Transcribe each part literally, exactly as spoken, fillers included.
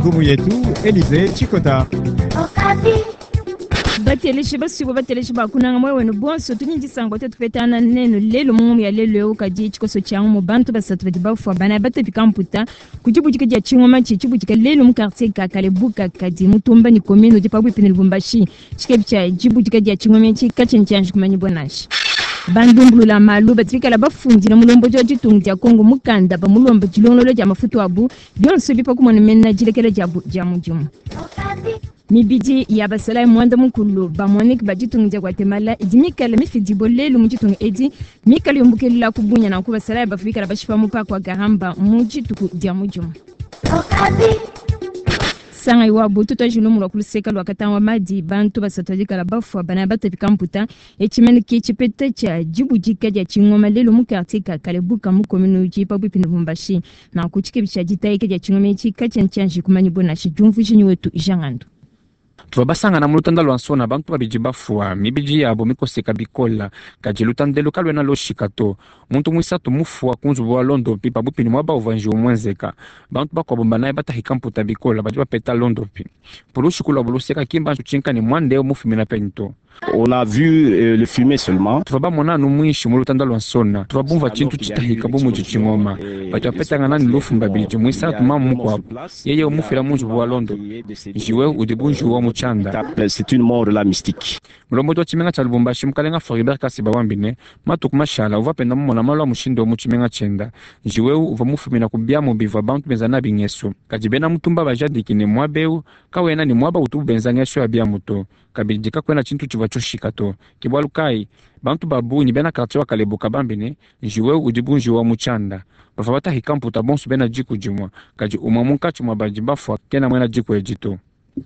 Ngumu yetu Elize Chikota. Bateleshi basuibua bateleshi ba kunanga moyo wenu bonso, tudi ne disanka bua tupetana nenu lelu mu ngumu ya lelu eu. Kadi tshikoso tshia ngumu, bantu basatu badi bafua, banayi batapika mputa ku dibudika dia tshingoma tshi tshibudika lelu mu quartier ka Kalebuka kadi mutumba ne commune udi pabuipi ne Lubumbashi. Tshikebi tshia dibudika dia tshingoma etshi katshiena tshianji kumanyibua nansha. Bandumbulula malu badi bikala bafundila mulombodi wa ditunga dia Kongo mukanda bamulomba dilongolola dia mafutu abu, bionso ebi pa kumona mena dilekela diabu dia mudimu. Mibidi ya basalayi muanda mukulu ba MONUC ba ditunga dia Guatemala idi mikale mifidibue lelu mu ditunga edi, mikale yumbukelela ku bunya. Nanku basalayi bavua bikala bashipa mu parc wa Garamba mu dituku dia mudimu. Sangayi wabu tutuaji lumu lua ku luseka lua Katanga Madi, bantu basatu badikala bafua, banayi batapika mputa. Etshi mene ke tshipeta tshia dibudika dia tshingoma lelu mu quartier ka Kalebuka mu commune udi pabuipi ne Lubumbashi. Nanku tshikebi tshia ditayika dia tshingoma etshi katshiena tshianji kumanyibua nansha. Diumvuija nyi wetu Jean Ngandu. Tuvua basangana mu lutanda lua nsona bantu babidi bafua, mibidi yabo mikoseka bikola, kadi lutandelo kaluena loshika to. Muntu muisatu mufua ku nzubu wa londopi pabuipi ne muaba uvua njiwu muenzeka. Bantu bakuabo banayi batahika mputa bikola badi bapeta londopi. Pulushi luabo luseka ki mbanji kutshinka ne muanda eu mufumina penyi to. On a vu euh, le fumet seulement. Tuvua bamona anu muinshi mu lutanda lua nsona, tuvua bumvua tshintu tshitahika bu mudi tshingoma. Badi bapetangana ne lufu mbabidi, muisatu mamu mukuabo yeye umufila mu nzubu wa londopi. Njiwu eu udi bu njiwu wa mu tshianda. C'est une mort là mystique. Mulombodi wa tshimenga tshia Lubumbashi, mukalenga Floribert Kasiba wambi ne matuku mashala uvua penda mumona malu a mushindu eu mu tshimenga tshienda. Njiwu eu uvua mufumina ku biamu bivua bantu benza nabi ngesu, kadi bena mutumba bajadiki ne muaba eu kawena ne muaba utubu benza ngesu ya biamu to, kabidi kakuena tshintu tshivua tshioshika to. Ke bualu kayi bantu ba bungi bena quartier wa Kalebuka bambi ne njiwu eu udi bu njiwu wa mu tshianda. Bavua batahika mputa bonso bena diku dimue, kadi umue munkatshi mua badi bafua kena muena diku edi to.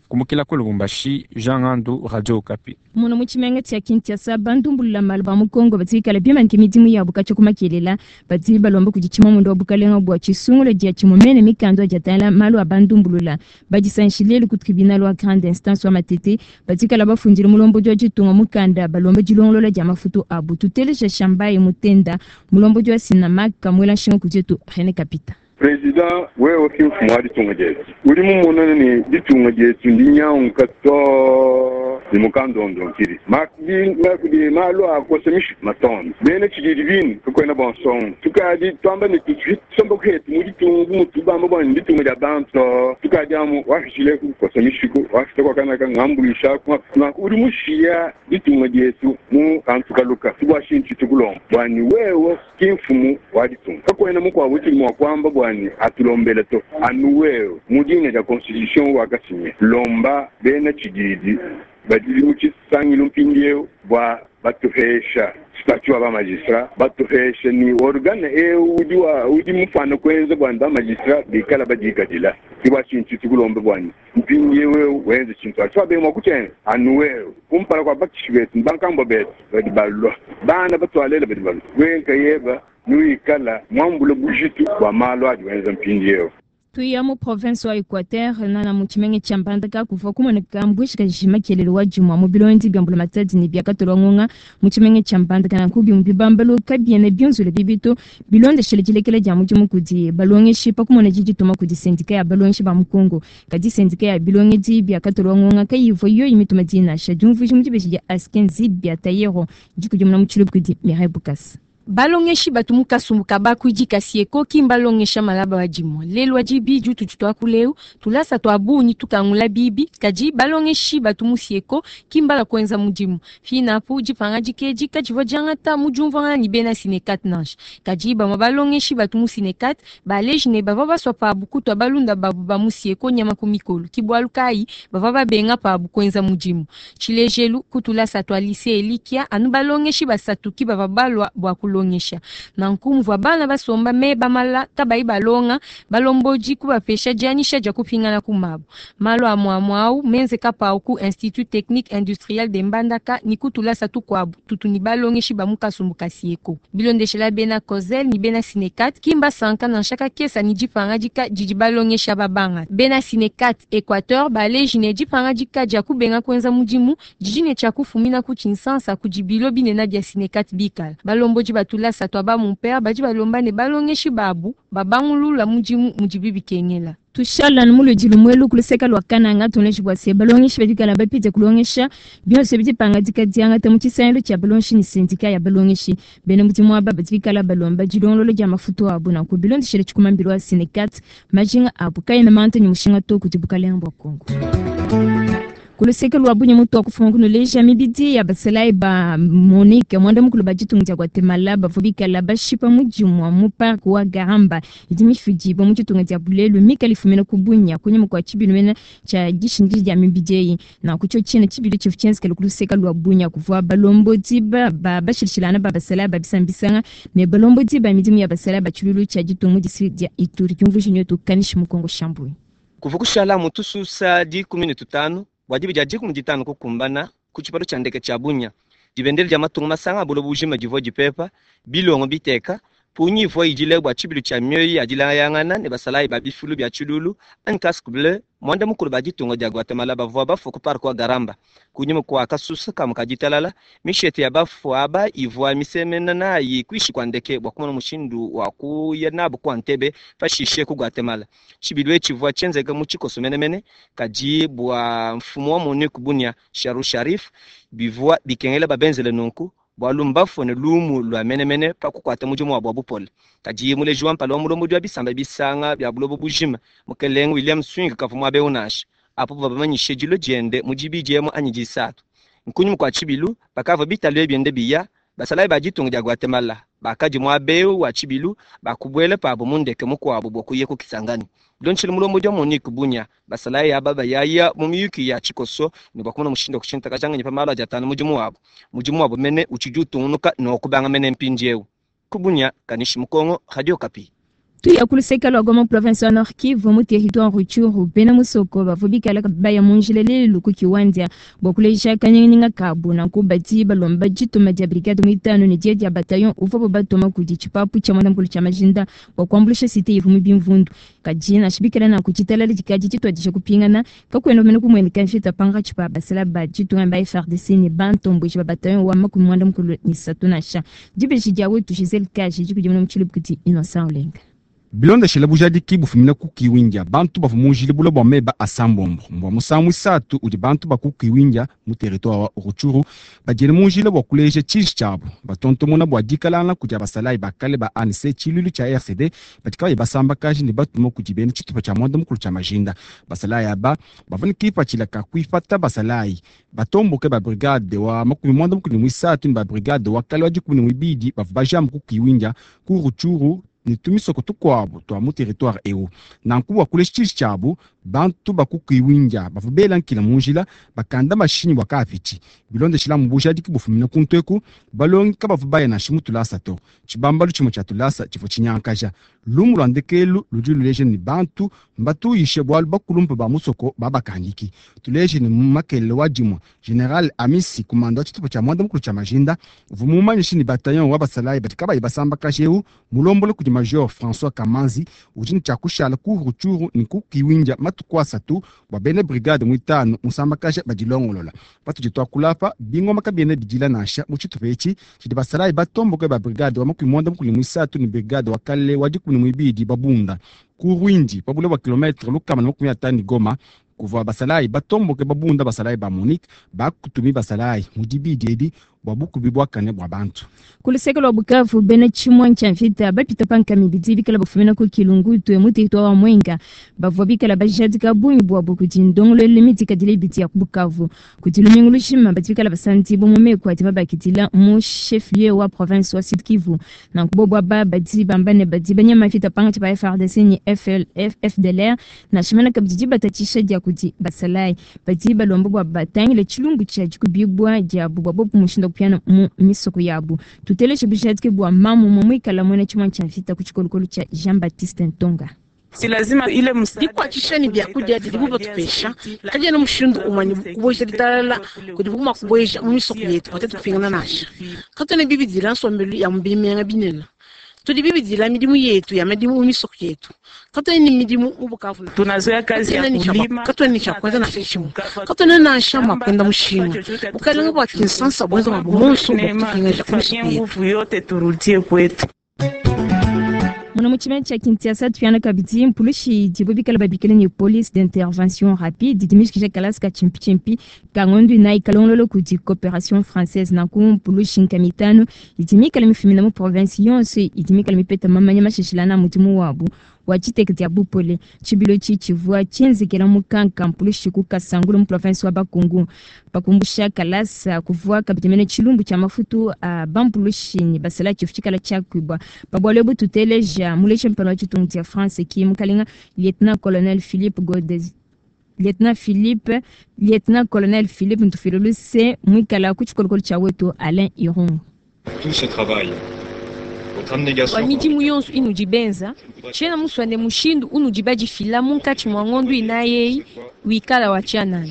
Kumukila ku Lubumbashi, Jean Ngandu, Radio Okapi. Muno mu tshimenga tshia Kinshasa, bandumbulula malu ba mu Kongo badi bikala bimanyike midimu yabu katshia ku makelela. Badi balomba kudi tshimamuende wa bukalenga bua tshisungula dia tshimue mene mikanda adi atangila malu a bandumbulula. Badisangishi lelu ku tribunal wa grande instance wa Matete, badi bikala bafundile mulombodi wa ditunga mukanda balomba dilongolola dia mafutu abu. Tuteleja Shambayi Mutenda, mulombodi wa Synamak, muela nshinga kudi yetu René Kapita. Président, wewe ki mfumu wa ditunga dietu, udi mumona ne ditunga dietu ndinyanguka to ne mukandondonkili kudi malu akosa mishiku matondo bena tshididi binu kakwena bonsongo. Tukadi twamba ne tusomba kuhetu mu ditunga bu mutu bamba bua ditunga dia bantu to tukadi amu wafishile kukosa mishiku wafita kwakanaka ngambulisha nanku udi mushiya ditunga dietu mu kantu kaluka tubwa shintu tukulomba bwani wewe ki mfumu wa ditunga, kakwena mukuabu tuli mua kuamba bwani atulombele to anu wewe mu dina dia constitution wakasinye lomba bena tshididi badi mu tshisangilu mpindieu bua batuhesha statut wa bamagistrat, batuhesha ni organe eu udi wa udi mufana kuenza bwani bamagistrat bikala badikadila. Ke bua tshintu tukulombe bwani mpindieu eu wenze tshintu atshi twabe mua kutshenza anu wewe kumpala kua bakishi betu bankambua betu badi balua bana batualela badi balua wenka yeba nuikala muambule bujitu bua malu adi wenza mpindieu. Tuya mu province wa Equateur, nana mu tshimenga tshia Mbandaka kuvua kumoneka mbuishi kajima kelelo wa dimua mu bilondi bia mbulamatadi ne biakatolwa ngonga mu tshimenga tshia Mbandaka. Nanku bimue bibambalu kabiena bionzula bibi to, bilondeshele dilekela dia mudimu kudi balongeshi pa kumona didituma kudi syndicat ya balongeshi ba mu Kongo, kadi syndicat ya bilongedi biakatolwa ngonga kayivua yoyi mituma dinasha. Diumvuija mu dibeji dia Askenzi bia Tayero dikudimuna mu tshiluba kudi Mireille Bukasa. Balongeshi batu mu kasumbu ka bakuidi ka SYECO ki mbalongesha malaba wa dimue lelu wa dibidi ututu tuakuleu. Tulasa tua bungi tukangula bibi, kadi balongeshi batu mu SYECO ki mbala kuenza mudimu. Finapu dipangadika edi kadivua diangata mu diumvuangana ne bena Synecat nansha, kadi bamue balongeshi batu mu Synecat baleji ne bavua basua pabu kutua balunda babu ba mu SYECO nyama ku mikolo, ki bualu kayi bavua babenga pabu kuenza mudimu. Tshilejelu, ku tulasa tua lycée Elikia anu balongeshi basatu ki bavua balua bua kulongesha. Nanku muvua bana basomba meba mala kabayi balonga, balombodi kubapesha dianyisha dia kupingana ku mabu. Malu amue au menzeka pawu ku Institut technique industriel de Mbandaka ni ku tulasa tukuabu tutu ni balongeshi ba mu kasumbu ka SYECO. Bilondeshela bena COSEL ni bena Synecat ki mbasanka nansha kakesa ni dipangadika didi balongesha babanga. Bena Synecat Équateur baleji ne dipangadika dia kubenga kuenza mudimu didi ne tshia kufumina ku tshinsansa kudi bilo binene bia Synecat bikala. Balombodi batulasa tua ba mumpere badi balomba ne balongeshi babu babangulula mudimu mudibi bikengela. Tushala muludi lumwelu kuluseka lwa Kananga tuneji bwa se balongeshi badikala bapite kulongesha byonse bidipangadika diangata mu tshisangilu tshia balongeshi ni sindika ya balongeshi bena mudimu aba badikala balomba dilongololo dia mafutu abu nanku bilondeshele tshikumambilo wa Senecat majinga abu kayena manta ni mushinga to kudi bukalenga bua Kongo. Kuluseke lwa bunye mutu akufunga kunuleja mibidi ya basalayi ba Monique mwanda mukulu ba ditunga dia Guatemala bavua bikala bashipa mudimu mu parc wa Garamba idi mifidibua mu ditunga dia Bulelu mikala ifumina ku Bunya kunyima kua tshibilu mene tshia dishindika dia mibidi eyi nanku tshio tshiena tshibilu tshivua tshienzekele kuluseke lwa Bunya kuvua balombodi ba bashilashilangana ba basalayi ba bisambisanga ne balombodi ba midimu ya basalayi ba tshilulu tshia ditunga mu district dia Ituri diumvuija nyotu kanishi Mukongo Shambui. Kuva kushala mu tususa dikumi ne tutanu bua dibi dia dikumi ditanu kukumbana ku tshipalo tshia ndeke tshia Bunya dibendele dia matunga masanga a buloba bujima divua dipepa bilongo biteka punyi ivua idile bua tshibilu tshia mioyo ya dilayangana ne basalayi ba bifulu bia tshilulu anyi casque bleu mwanda mukulu ba ditunga dia Guatemala bavua bafua ku parc wa Garamba kunyima kua kasusa kamue ka ditalala mishete ya bafua aba ivua misemena nayi kuishi kua ndeke bua kumona mushindu wa kuya nabu ku Entebbe pashishe ku Guatemala tshibilu etshi tshivua tshienzeka mu tshikoso menemene kadi bua mfumu wa Monique Bunya Sharu Sharif bivua bikengela babenzele nunku bualu mbafue ne lumu lua menemene pa kukuata mudimu wabu wa bupole kadi muleji wa mpala wa mulombodi wa bisamba bisanga bia buloba bujima mukelenge William Swing kavua muabe unasha apo bavua bamanyishe dilo diende mu dibidi emu anyi disatu nkunyima kua tshibilu bakavua bitalu biende biya basalayi ba ditunga dia Guatemala bakadi muabe wa tshibilu bakubuela pabo mu ndeke mukuabu bua kuya ku Kisangani bilondeshile mulombodi wa Monique Bunya basalayi aba bayaya mu miyuki ya tshikoso ne bua kumona mushindu wa kushintakajanganya pa malu adi atanu mudimu wabu mudimu wabu mene utshidi utungunuka nokubanga mene mpindiewu ku Bunya Kanishi Mukongo Radio Okapi. Tuya kuluseka lwa Goma province wa Nord Kivu mu territoire Rutshuru bena musoko bavua bikala baya mu njila lelu ku Kiwanja bua kuleja kanyinganyinga kabu nanku badi balomba dituma dia brigade muitanu ne dia dia bataillon uvuabu batuma kudi tshipapu tshia mwanda-mukulu tshia majinda bua kuambuluisha cité ivua mu bimvundu kadi nansha bikala nanku tshitalala dikadi tshituadija kupingana kakuena mene kumueneka mvita pankatshi pa basala ba ditunga ba F R D C ne bantomboji ba bataillon wa makumi mwanda-mukulu ne isatu nansha dibeji dia wetu Giselle Kaji dikudimuna mu tshilubu kudi Innocent Olenga. Bilondeshele bujadiki bufumina ku Kiwindia bantu bavua mu njila bula bua meba asambombo mbua musangu isatu udi bantu ba ku Kiwindia mu territoire wa Rutshuru badiele mu njila bua kuleja tshiji tshiabu batontomona bua dikalanga kudi basalayi bakale ba A N C tshilulu tshia R C D badi kabayi basambakaji ne batuma kudi bena tshitupa tshia mwanda mukulu tshia majinda basalayi aba bavua ne kipatshila ka kuipata basalayi batomboke ba brigade wa makumi mwanda mukulu ne muisatu ne ba brigade wa kale wa dikumi ne muibidi bavua bajama ku Kiwindia ku Rutshuru ne tumisoko tukuabu tua mu territoire eu nanku bua kulesha tshiji tshiabu bantu ba ku Kiwindia bavua bela nkila mu njila bakanda mashinyi bua kaapitshi bilondeshila mu bujadiki bufumina ku nteku balongi kabavua baya nansha mu tulasa to tshibambalu tshimue tshia tulasa tshivua tshinyankaja lumu lua ndekelu ludi luleja ne bantu mbatuyishe bualu bakulumpa ba musoko babakandiki tuleje ne makelele wa dimue General Amisi kumanda wa tshitupa tshia mwanda mukulu tshia majinda uvua mumanyishe ne bataillon wa basalayi badi kabayi basambakaje eu mulombole kudi Major François Kamanzi udi ne tshia kushala ku Rutshuru ne ku Kiwindia matuku asatu bua bena brigade muitanu musambakaja badilongolola patudi tuakulapa bingoma kabiena bidila nansha mu tshitupa etshi tshidi basalayi batomboke ba brigade wa makumi mwanda mukulu ne muisatu ne brigade wa kale wa dikumi ne muibidi babunda ku Rwindi pa bule bua kilometre lukama na makumi atanu ne Goma kuvua basalayi batomboke babunda basalayi ba Monique bakutumi basalayi mu dibidi edi bua bukubi buakane bua bantu. Kuluseke lwa Bukavu bena tshimue tshia mvita bapita pankami bidi bikala bafumina ku Kilungutwe mu territoire wa Mwenga bavua bikala bajadika bungi bwabo kudi ndongoluelu midikadile ibidi ya ku Bukavu kudi lumingu lushima badi bikala basandibwa mu meku adi babakidila mu chef-lieu wa province wa Sud Kivu nanku bobo aba badi bamba ne badi banyama mvita pankatshi pa F R D C ne F L F F D L R nansha mena kabidi dibatatshisha dia kudi basalayi badi balomba bua batangile tshilumbu tshia dikubibwa diabu bua bobo mushindu wa kupiana mu misoko yabu tuteleshe bujadiki bua mamu mwe mwikala mwena tshimue tshia mvita ku tshikolokolo tshia Jean-Baptiste Ntonga. Si lazima ile msaada dikuatshishani byakudia didibu batupesha kadiena mushindu umwe kuboja ditalala kudi kuma kuboja mu misoko yetu patete kupingana nasha katwena bibidila nsombelu ya mubimenga binene tudi bibidila midimu yetu ya midimu mu misoko yetu katwena ni midimu mu Bukavu tunazoea kazi ya kulima katwena ni cha kwanza na shishimo katwena nansha makwenda mushinga bukalenga bwa Kinshasa bwenza mabumonso bwa kupinga ku misoko yetu nguvu yote turudie kwetu. Muna mu tshimenga tshia Kinshasa tufiana kabidi mpulushi dibo bikala babikila ne police d'intervention rapide dimishikisha kalasi ka chimpchimpi ka ngondu inayi kalongololo kudi coopération française nanku mpulushi nkama itanu idi mikala mifumina mu province yonso idi mikala mipeta mamanya mashishilana mudimu wabu wa tshiteke dia bupole. Tshibilo tshi tshivua tshienzekela mu Kanka mpulushi ku Kasangulu mu province wa Bakongo. Pakumbusha kalasa kuvua kabidi mene tshilumbu tshia mafutu a bampulushi ne basala tshifu tshikala tshiakuibua. Pabwalo ebu tuteleja mulesha mpano wa tshitungu tshia France ki mukalenga lieutenant colonel Philippe Godez Lieutenant Philippe Lieutenant Colonel Philippe Ntufiloluse mwikala ku tshikolokolo tshia wetu Alain Irungu. Tout ce travail, votre abnégation Wa midimu yonso inudi benza tshiena muswane mushindu unudi badifila munkatshi mua ngondu inayeyi wikala wa tshianana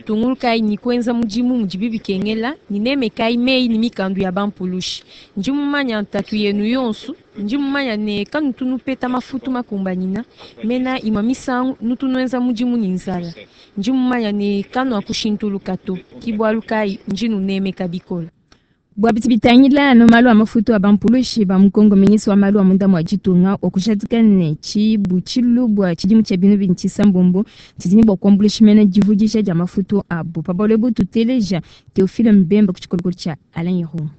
tungulukayi ni kuenza mudimu mudi bikengela ni nemekayi meyi ni mikandu ya bampulushi. Ndi mumanya ntatu yenu yonso, ndi mumanya ne kanutu nupeta mafutu makumbanyina mena imwa misangu nutu nuenza mudimu ni nzala. Ndi mumanya ne kanu akushintuluka to kibwalu kayi ndi nunemeka bikola. Bua biti bitangila no malu a mafutu a bampulushi ba mukongo ministre wa malu a munda mua ditunga wakushadika ne tshibu tshilubua tshidimu tshia binu bini tshisambombo tshidini bua kuambuluisha mene divudisha dia mafutu abu. Pabalo ebu tuteleja Théophile Mbemba ku tshikolokolo tshia Alain Irungu.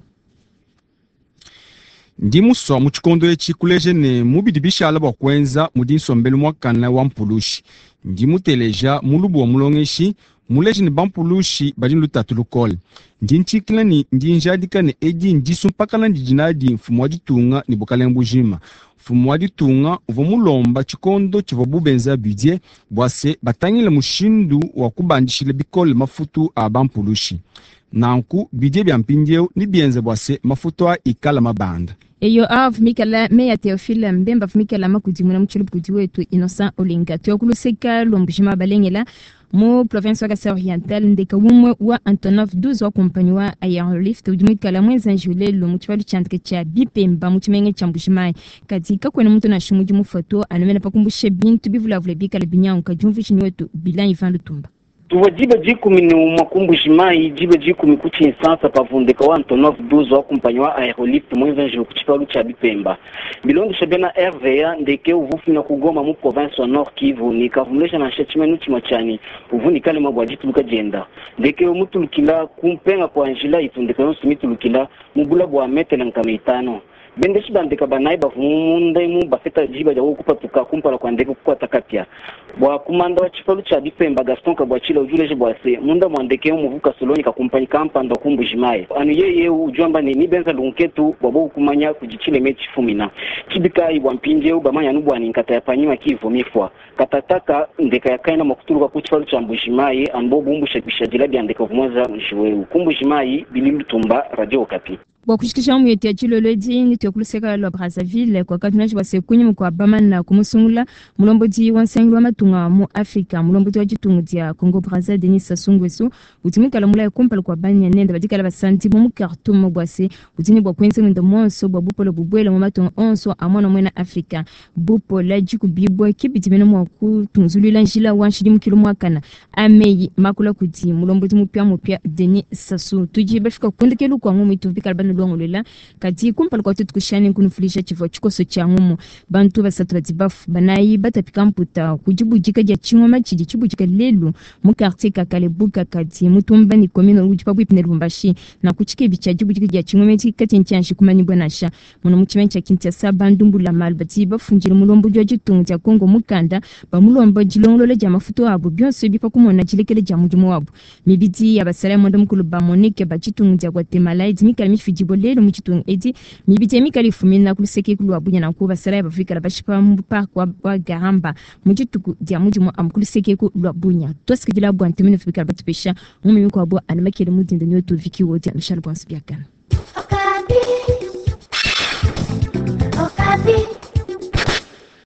Ndi muswa mu tshikondo etshi kuleja ne mubidi bishala bua kuenza mudi nsombelu muakana wa mpulushi. Ndi muteleja mulubu wa mulongeshi muleje ne bampulushi badi ne lutatu lukole. Ndi ntshikila ne ndi njadika ne edi ndisumpakana ndidi nadi mfumu wa ditunga ne bukalenge bujima. Mfumu wa ditunga uvua mulomba tshikondo tshivua bubenza budget bua se batangile mushindu wa kubandishila bikole mafutu a bampulushi. Nanku budget bia mpindieu ni bienze bua se mafutu a ikala mabanda. Eyo avumikala meya Théophile Mbemba avumikala makudimuna mu kudi wetu Innocent Olinga. Tuyakuluseka lwa balengela mu province wa Kasai Oriental ndeka umwe wa Antonov douze wa kompanyi wa Airlift udi muikala mwenza njulelo mu tshibalu tshiandika tshia Bipemba mu tshimenga tshia Mbujimayi. Kadi kakuena muntu nansha mudi mufoto anomena pakumbusha bintu bivulavula bikala binyanguka diumvuishi wetu Bilan Ivan Lutumba. Tuwa diba dikumi ni umwa ku Mbujimayi diba dikumi ku Tshinsansa pavundeka wa Antonov douze wa kumpanyi wa Aerolift mwenza njulu ku tshipalu tshia Bipemba. Bilondesha bena R V A ndeke uvufina kugoma mu province wa Nord Kivu ni kavumulesha nansha tshimenu tshimwe tshani uvunikale mabwa dituluka dienda. Ndeke mutulukila kumpenga kwa njila itundeka yonso mitulukila mubula bwa metele nkama itano. Bendeshi bandeka banayi bavumunda mu bafeta jiba ja kupatuka kumpala kwa ndeke kukwata kapya. Bwa kumanda wa tshipalu tshia Bipemba Gaston Kabwachila ujuleje bwa se munda mwandeke muvuka soloni ka kumpanyi kampanda ku Mbujimayi. Anu yeye ujwamba ni nibenza lunketu bwa bo kumanya kujichile mechi fumina. Chibika bwa mpinje bamanya nubwa ni nkata ya panyima kivu mifwa. Katataka ndeka yakaina makutuluka ku tshipalu tshia Mbujimayi ambo bumbusha bishadila bya ndeka vumwaza mjiwe. Ku Mbujimayi Bililutumba Radio Okapi. Bua kushikisha mu yetu ya tshilolodi ni tuyakuluseka lwa Brazzaville kwa katunaji bua sekunyi kwa bamana kumusungula mulombodi wa nsangi wa matunga mu Afrika mulombodi wa ditunga dia Congo Brazza Denis Sassou Nguesso utimikala mulayi kumpala kwa banya nenda badikala basanti mu Khartoum bua se utini bua kuenza mwenda monso bua bupolo bubwela mu matunga onso a mwana mwena Afrika bupola dikubibwa kibidi mene mua kutunzulula njila wa nshidi mukilo mwakana ameyi makula kudi mulombodi mupya mupya Denis Sassou tudi bafika kundekelu kwa ngumu itubikala banu lwangulula kati kumpala kwa tutu kushani kunufulisha chivua chikoso cha ngumu bantu basatu badi bafu banayi batapika mputa kudibudika dia chingoma chidi chibudika lelu mu quartier Kakalebuka kati mutumba ni commune udi pabuipi ne Lubumbashi na kuchikebi cha dibudika dia chingoma chi kati nchanshi kumanyibwa nasha muno mu chimene cha Kinshasa bandumbula malu bati bafunjile mulombo dia ditunga dia Congo mukanda bamulomba dilongolola dia mafutu abo byonso bipa kumona dilekele dia mudimu wabo mibidi ya basala mwanda mukulu ba Monique ba ditunga dia Guatemala idi mikala mifidi lelo mu tshitunga edi mibidi ya mikala ifumina ku luseke lwa Bunya nanku basala ya bafikala bashipa mu park wa, wa Garamba mu dituku dia mudimu amu ku luseke lwa Bunya twasikidila bua ntemene fikala batupesha mu mimiko abo anumakele mudinda nyoto viki wodia Michel Bonsibiakana.